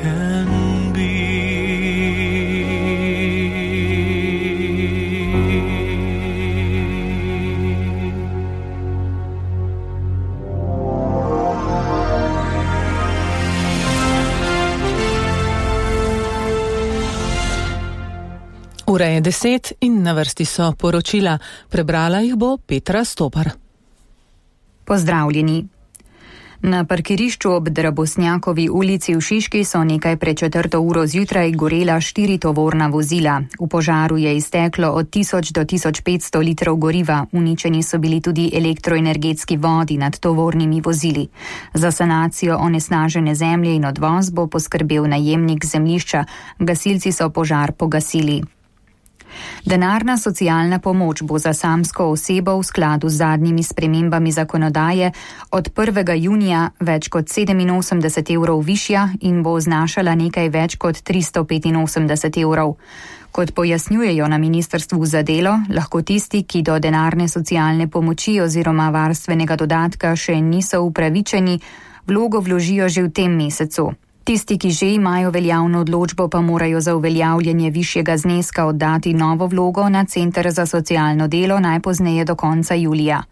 can be. Ura je 10 in na vrsti so poročila. Prebrala jih bo Petra Stopar. Pozdravljeni. Na parkirišču ob Drabosnjakovi ulici v Šiški so nekaj pred 4. uro zjutraj gorela 4 tovorna vozila. V požaru je izteklo od 1000 do 1500 litrov goriva. Uničeni so bili tudi elektroenergetski vodi nad tovornimi vozili. Za sanacijo onesnažene zemlje in odvoz bo poskrbel najemnik zemljišča. Gasilci so požar pogasili. Denarna socialna pomoč bo za samsko osebo v skladu z zadnjimi spremembami zakonodaje od 1. junija več kot 87 evrov višja in bo znašala nekaj več kot 385 evrov. Kot pojasnjujejo na Ministrstvu za delo, lahko tisti, ki do denarne socialne pomoči oziroma varstvenega dodatka še niso upravičeni, vlogo vložijo že v tem mesecu. Tisti, ki že imajo veljavno odločbo, pa morajo za uveljavljanje višjega zneska oddati novo vlogo na Center za socialno delo najpozneje do konca julija.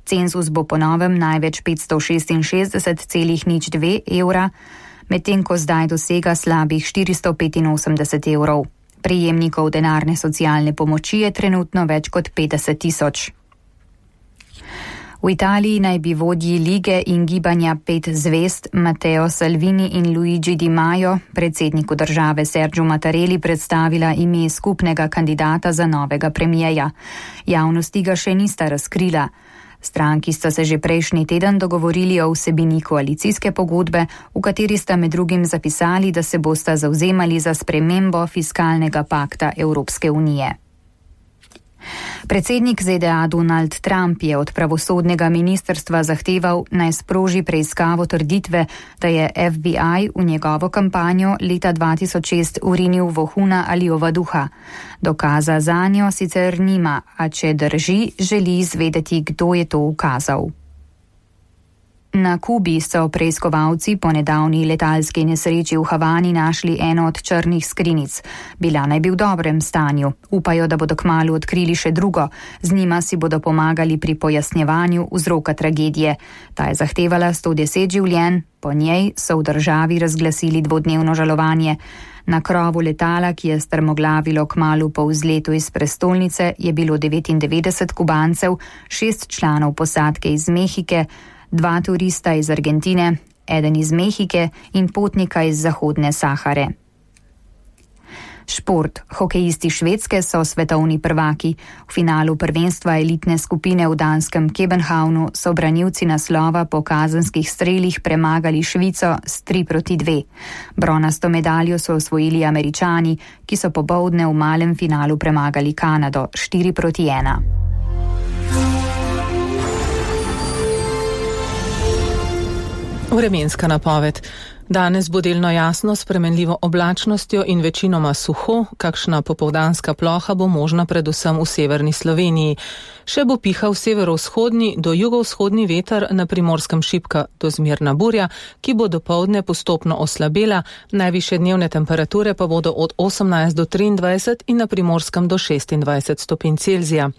Cenzus bo po novem največ 566,02 evra, medtem ko zdaj dosega slabih 485 evrov. Prejemnikov denarne socialne pomoči je trenutno več kot 50 tisoč. V Italiji naj bi vodji lige in gibanja 5 zvezd Matteo Salvini in Luigi Di Maio predsedniku države Sergiu Mattarelli predstavila ime skupnega kandidata za novega premijeja. Javnosti ga še nista razkrila. Stranki sta se že prejšnji teden dogovorili o vsebini koalicijske pogodbe, v kateri sta med drugim zapisali, da se bosta zavzemali za spremembo fiskalnega pakta Evropske unije. Predsednik ZDA Donald Trump je od pravosodnega ministrstva zahteval, naj sproži preiskavo trditve, da je FBI v njegovo kampanjo leta 2006 urinil vohuna ali ovaduha. Dokaza zanjo sicer nima, a če drži, želi izvedeti, kdo je to ukazal. Na Kubi so preiskovalci po nedavni letalski nesreči v Havani našli eno od črnih skrinjic. Bila naj bi v dobrem stanju. Upajo, da bodo kmalu odkrili še drugo. Z njima si bodo pomagali pri pojasnjevanju vzroka tragedije. Ta je zahtevala 110 življenj, po njej so v državi razglasili dvodnevno žalovanje. Na krovu letala, ki je strmoglavilo kmalu po vzletu iz prestolnice, je bilo 99 Kubancev, 6 članov posadke iz Mehike, 2 turista iz Argentine, 1 iz Mehike in potnika iz Zahodne Sahare. Šport. Hokejisti Švedske so svetovni prvaki. V finalu prvenstva elitne skupine v danskem Københavnu so branilci naslova po kazenskih strelih premagali Švico s 3-2. Bronasto medaljo so osvojili Američani, ki so popoldne v malem finalu premagali Kanado 4-1. Vremenska napoved. Danes bo delno jasno s spremenljivo oblačnostjo in večinoma suho, kakšna popoldanska ploha bo možna predvsem v severni Sloveniji. Še bo pihal severovzhodni do jugovzhodni veter, na Primorskem šibka do zmerna burja, ki bo dopoldne postopno oslabela, najvišje dnevne temperature pa bodo od 18 do 23 in na Primorskem do 26 stopinj Celzija.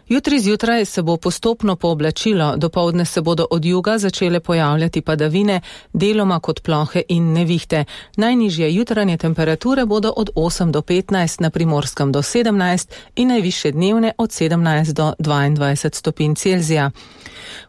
Jutri zjutraj se bo postopno pooblačilo, dopoldne se bodo od juga začele pojavljati padavine, deloma kot plohe in nevihte. Najnižje jutranje temperature bodo od 8 do 15, na Primorskem do 17 in najvišje dnevne od 17 do 22 stopinj Celzija.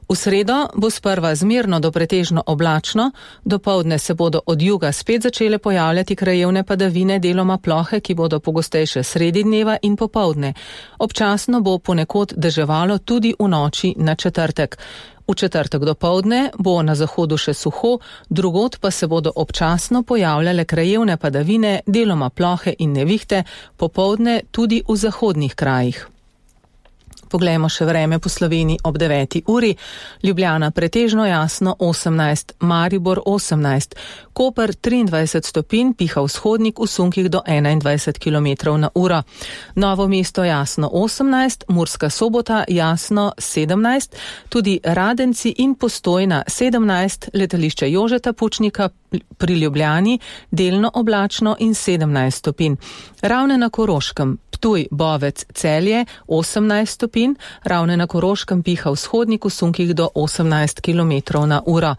V sredo bo sprva zmerno do pretežno oblačno, dopoldne se bodo od juga spet začele pojavljati krajevne padavine, deloma plohe, ki bodo pogostejše sredi dneva in popoldne. Občasno bo ponekod deževalo tudi v noči na četrtek. V četrtek dopoldne bo na zahodu še suho, drugod pa se bodo občasno pojavljale krajevne padavine, deloma plohe in nevihte, popoldne tudi v zahodnih krajih. Poglejmo še vreme po Sloveniji ob 9. uri. Ljubljana pretežno jasno 18, Maribor 18, Koper 23 stopinj, piha vzhodnik v sunkih do 21 km na uro. Novo mesto jasno 18, Murska Sobota jasno 17, tudi Radenci in Postojna 17, letališče Jožeta Pučnika pri Ljubljani delno oblačno in 17 stopinj. Ravne na Koroškem, Ptuj, Bovec, Celje 18 stopinj, Ravne na Koroškem piha vzhodnik v sunkih do 18 km na uro.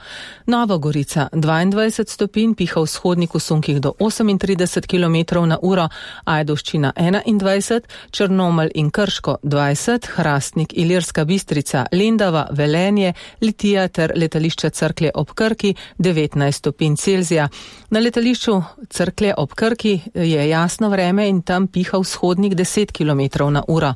Nova Gorica 22 stopinj, piha vzhodnik v sunkih do 38 km na uro, Ajdovščina 21, Črnomelj in Krško 20, Hrastnik, Ilirska Bistrica, Lendava, Velenje, Litija ter letališče Cerklje ob Krki 19 stopinj Celzija. Na letališču Cerklje ob Krki je jasno vreme in tam piha vzhodnik 10 km na uro.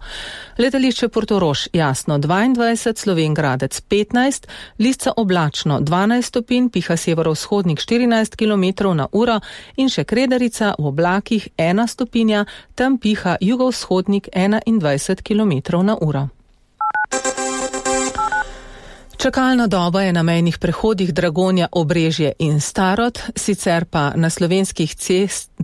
Letališče Portorož jasno 22, Slovenj Gradec 15, Lisca oblačno 12 stopinj, piha severovzhodnik 14 km na uro in še Kredarica v oblakih 1 stopinja, tam piha jugovzhodnik 21 km na uro. Čakalna doba je na mejnih prehodih Dragonja, Obrežje in Starod, sicer pa na slovenskih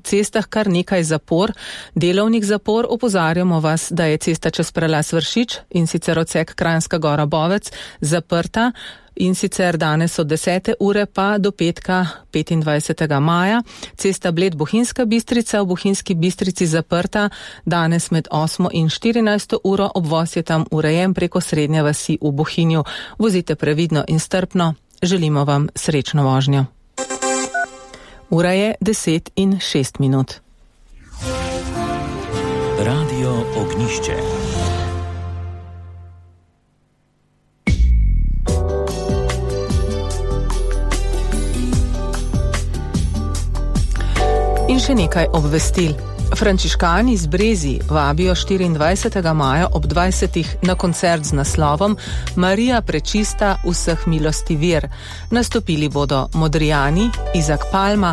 cestah kar nekaj zapor, delovnih zapor. Opozarjamo vas, da je cesta čez prelaz Vršič in sicer odsek Kranjska Gora Bovec zaprta in sicer danes od 10. ure pa do petka 25. maja. Cesta Bled Bohinjska Bistrica v Bohinjski Bistrici zaprta danes med 8. in 14. uro, obvoz je tam urejen preko srednje vasi v Bohinju. Vozite previdno in strpno, želimo vam srečno vožnjo. Ura je 10:06. Radio Ognišče. In še nekaj obvestil. Frančiškani iz Brezij vabijo 24. maja ob 20. na koncert z naslovom Marija prečista vseh milosti vir. Nastopili bodo Modrijani, Izak Palma,